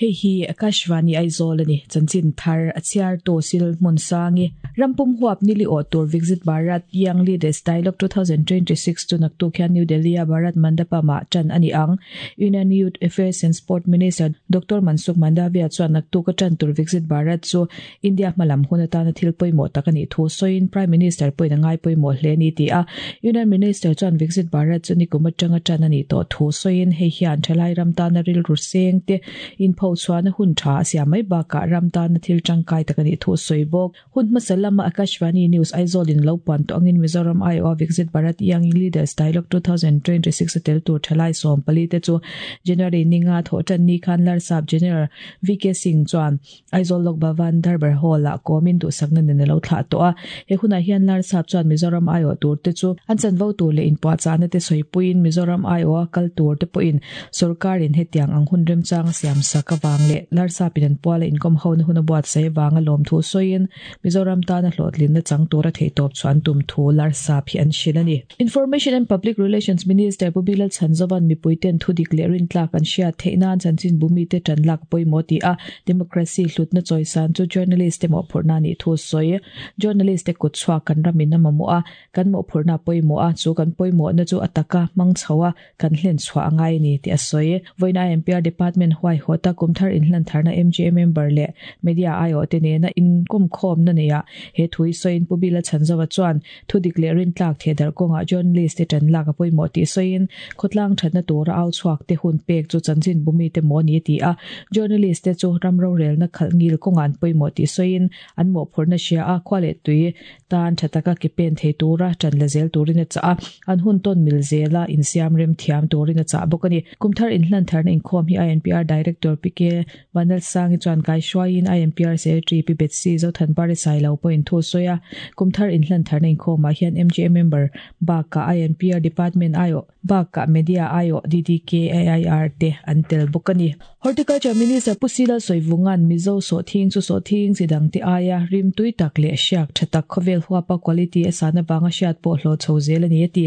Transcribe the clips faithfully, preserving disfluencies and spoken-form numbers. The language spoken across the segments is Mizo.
Hei hi Akashvani Aizawl ani chanchin thar a chhiar tu sil hmun sangi rampum huap nili aw tur Viksit Bharat Young Leaders Dialogue twenty twenty-six chu naktuk hian New Delhi a Bharat Mandapam ah tan ani ang. Union Youth Affairs and Sport Minister Doctor Mansukh Mandavia chuan naktuk a tan tur Viksit Bharat chu India hmalam hun atana thil pawimawh tak ani thu sawiin Prime Minister pawhin a ngai pawimawh hle ni ti a. Union Minister chuan Viksit Bharat chu nikum atanga tan ani tawh thu sawiin hei hian thalai ram tana rilru seng te in pho chuan hun tha sia mai baka ram tan thil tangkai takani thu soibok hun masalama Akashvani News Aizawl in lo pan to angin Mizoram I O Viksit Bharat Young Leaders Dialogue twenty twenty-six tel tur thalai som pali te chu January ninga tho tan ni khan lar sab General V K Singh chuan Aizawl Lok Bhavan Darbar Hall a komin du sakna ne lo thla to a he huna hian lar sab chuan Mizoram I O tur te chu an chan vo tur le in pa chana te soipuin Mizoram I O kal tur te poin sarkar in hetiang ang hun rem chang siam saka wang le larsa pinan puala inkom ho na huna buat sai wanga lom thu soin Mizoram ta na hlotlin na chang tura thei top chuan tum thu larsa phi an shilani Information and Public Relations Minister Pubilal Chanzawan mipuiten thudik le rin tlak an shia theina chanchin bumi te tan lak poimoti a democracy hlutna choisan chu journalist te mo phurna ni thu soi journalist te kutchwa kan ramin na mamu a kan mo phurna poimo a chu kan poimo na chu ataka mang chawa kan hlen chwa angai ni ti a soi voina M P R Department huai hota kumthar inhlan tharna M G M member le media I O te ne na in kum khom na neya he thui soin pubila chanzawa chuan thudik le rin tlak thedar konga journalist te tan lak apoi mo ti soin khotlang thatna tura au chuak te hun pek chu chanchin bumi te mo ni ti a journalist te chu ramro rel na khalngil kongan poi mo ti soin an mo phurna sia a khwale tui tan thataka ki pen the tura tan la zel turina cha an hun ton mil zela in siam rem thiam turina cha bokani kumthar inhlan tharna in khom hi I N P R Director P K Vanal Sangi chuan kai shwain I M P R Secretary P Betsy Zothan Pari Sailo point thu soya kumthar inhlan tharna in khom ma hian M G M member ba ka I N P R Department I O ba ka Media I O D D K A I R te antel bokani Horticulture Minister Pusila Soivungan Mizo so thing chu so thing sidang ti aya rim tui tak le siak thatak khovel huapa quality asana banga siat po hlo chhozel ani ti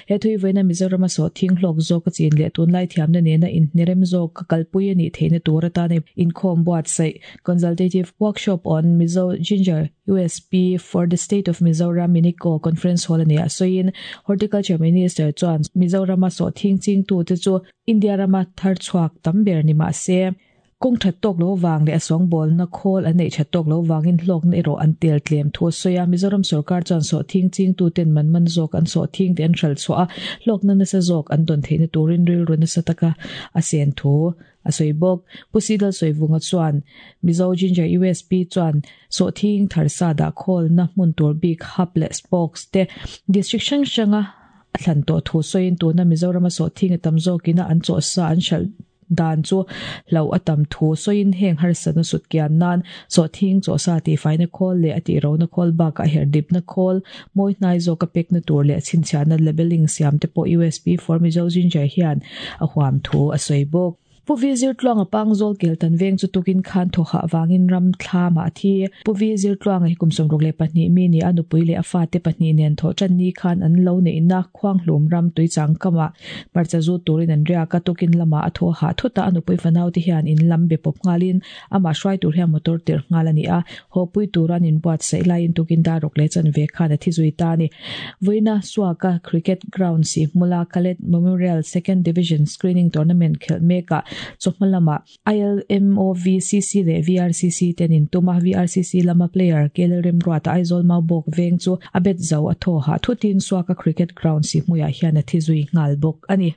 he thui veina Mizoram so thing hlok zo ka chin le tun lai thiam na ne na in nerem zo ka kalpui ani theina tura ta ne in khom buat sai consultative workshop on Mizo ginger U S P for the state of Mizoram Minico conference hall ani soin Horticulture Minister chuan Mizoram so thing ching tu te chu India rama thar chuak tamber ni ma se kong that tok lo wang le asong bol na khol anei that tok lo wangin hlok na ero an tel tlem thu soya Mizoram sarkar chuan so thing ching tu ten man man zok an so thing ten thral chwa hlok na na sa zok an don theina turin ril run sa taka asen thu asoibok pusidal soivunga chuan Mizo ginger U S P chuan so thing tharsa da khol na hmun tur bik hub le spokes te district sang sanga thlan to thu soin tu na Mizoram so thing tam zokina an chaw sa an shal dan chu lo atam thu soin heng har san sut kian nan so thing chaw sa ti faina khol le ati ro na khol ba ka her dip na khol moi nai zo ka pek na tur le chinchana labeling siam te po U S P for Mizo ginger hian a huam thu a soibok Puvi zir tluang a pangzol kel tan veng chu tukin khan tho ha wangin ram thla ma thi Puvi zir tluang hi kumsom rok le pahnih mi ni anupui le afa te pahnih nen tho chan ni khan an lo nei na khwang hlum ram tui chang kama marcha zu turin an ria ka tukin lama a tho ha thuta anupui fanau ti hian in lam be pop ngalin ama hruai tur hian motor tir ngal ani a ho pui turan in buat sei lai in tukin da rok le chan ve khan a thi zui ta ni voina suaka cricket ground si mula Kalet Memorial Second Division Screening Tournament khel meka chokmalama I L M O V C C le V R C C tenin tuma V R C C lama player kelrem ruata Aizawl mau bok veng chu abet zo atho ha thutin suaka cricket ground si muya hian a thizui ngal bok ani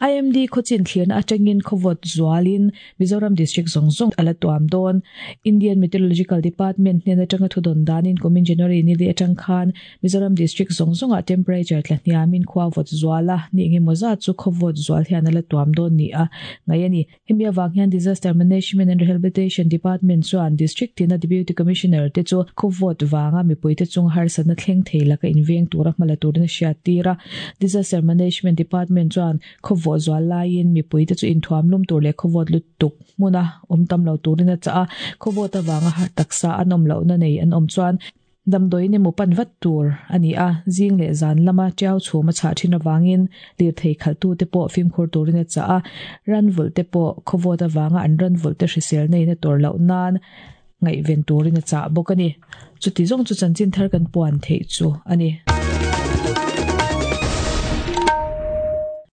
I M D khochin thlian atangin khowot zualin Mizoram district zongzong ala tuam don Indian Meteorological Department hnen atanga thudon danin kumin January ni le atang khan Mizoram district zongzonga temperature tlahniamin khwawot zuala ni nge moza chu khowot zual hian ala tuam don ni a ngayani hemia wanghian Disaster Management and Rehabilitation Department chuan district tina Deputy Commissioner te chu khowot wanga mipui te chung har sana thleng theila ka inveng tura hmala turina hriat tira Disaster Management Department chuan khowot zual laiin mipui te chu inthuam lum tur le khowot lutuk muna omtam lo turina cha khowot awanga har taksa anom lo na nei an om chuan Damdawiin emaw pan vat tur a ni a, zing leh zan lama tiau chhum a chhah thin avangin lirthei khalhtute pawh fimkhur turin a chah a, ran vulh te pawh khawvawt avanga an ran vulh te hrisel na in a tawrh loh nan ngaihven turin a chah bawk a ni. Chuti zawng chu chanchin thar kan puan theih chu a ni.